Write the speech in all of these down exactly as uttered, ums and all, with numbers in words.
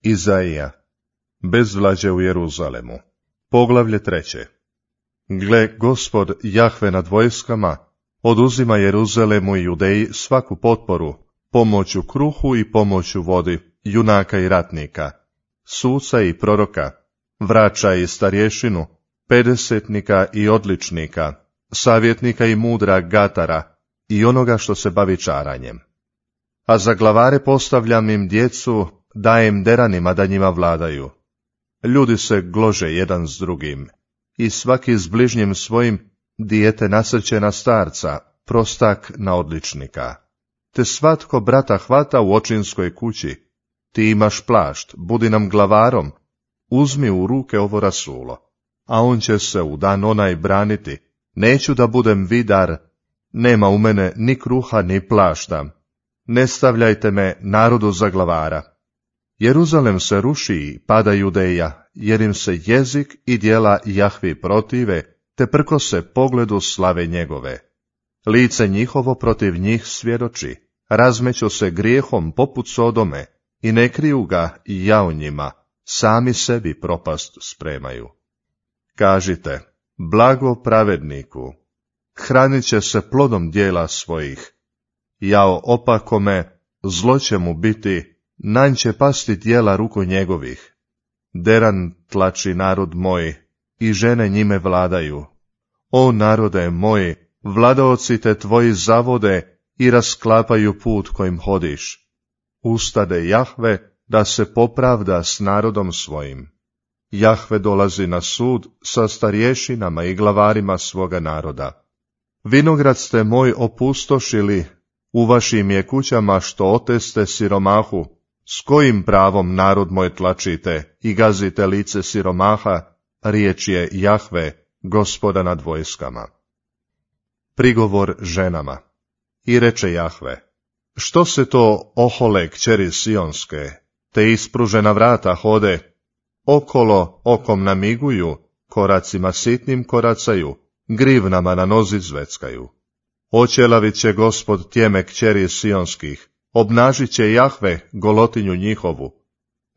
Izaija. Bezvlađe u Jeruzalemu. Poglavlje treće. Gle, Gospod Jahve nad vojskama oduzima Jeruzalemu i Judeji svaku potporu, pomoć u kruhu i pomoć u vodi, junaka i ratnika, suca i proroka, vrača i starješinu, pedesetnika i odličnika, savjetnika i mudra gatara i onoga što se bavi čaranjem. A za glavare postavljam im djecu, dajem deranima da njima vladaju. Ljudi se glože jedan s drugim, i svaki s bližnjim svojim dijete nasrće na starca, prostak na odličnika. Te svatko brata hvata u očinskoj kući. Ti imaš plašt, budi nam glavarom, uzmi u ruke ovo rasulo, a on će se u dan onaj braniti. Neću da budem vidar, nema u mene ni kruha ni plašta. Ne stavljajte me narodu za glavara. Jeruzalem se ruši i pada Judeja, jer im se jezik i djela Jahvi protive, te prkose pogledu slave njegove. Lice njihovo protiv njih svjedoči, razmeću se grijehom poput Sodome, i ne kriju ga i jao njima, sami sebi propast spremaju. Kažite, blago pravedniku, hranit će se plodom dijela svojih. Jao opakome, zlo će mu biti, nanj će pasti djela ruku njegovih. Deran tlači narod moj, i žene njime vladaju. O narode moji, vladaoci te tvoji zavode i rasklapaju put kojim hodiš. Ustade Jahve da se popravda s narodom svojim. Jahve dolazi na sud sa starješinama i glavarima svoga naroda. Vinograd ste moj opustošili, u vašim je kućama što oteste siromahu. S kojim pravom narod moj tlačite i gazite lice siromaha, riječ je Jahve, Gospoda nad vojskama. Prigovor ženama. I reče Jahve, što se to ohole kćeri Sionske, te ispružena vrata hode, okolo okom namiguju, koracima sitnim koracaju, grivnama na nozi zveckaju. Oćelavit će Gospod tjeme kćeri Sionskih, obnažit će Jahve golotinju njihovu.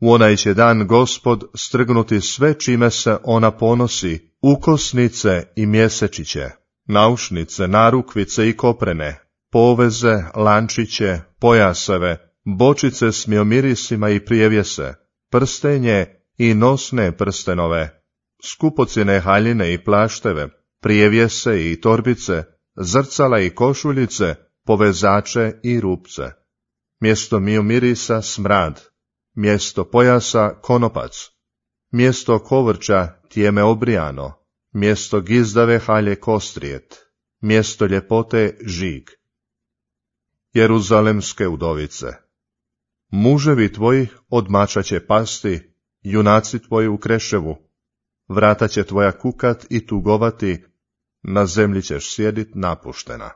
U onaj će dan Gospod strgnuti sve čime se ona ponosi, ukosnice i mjesečiće, naušnice, narukvice i koprene, poveze, lančiće, pojaseve, bočice s miomirisima i prijevjese, prstenje i nosne prstenove, skupocjene haljine i plašteve, prijevjese i torbice, zrcala i košuljice, povezače i rupce. Mjesto miomirisa smrad, mjesto pojasa konopac, mjesto kovrča tjeme obrijano, mjesto gizdave halje kostrijet, mjesto ljepote žig. Jeruzalemske udovice. Muževi tvoji od mača će pasti, junaci tvoji u kreševu, vrata će tvoja kukat i tugovati, na zemlji ćeš sjedit napuštena.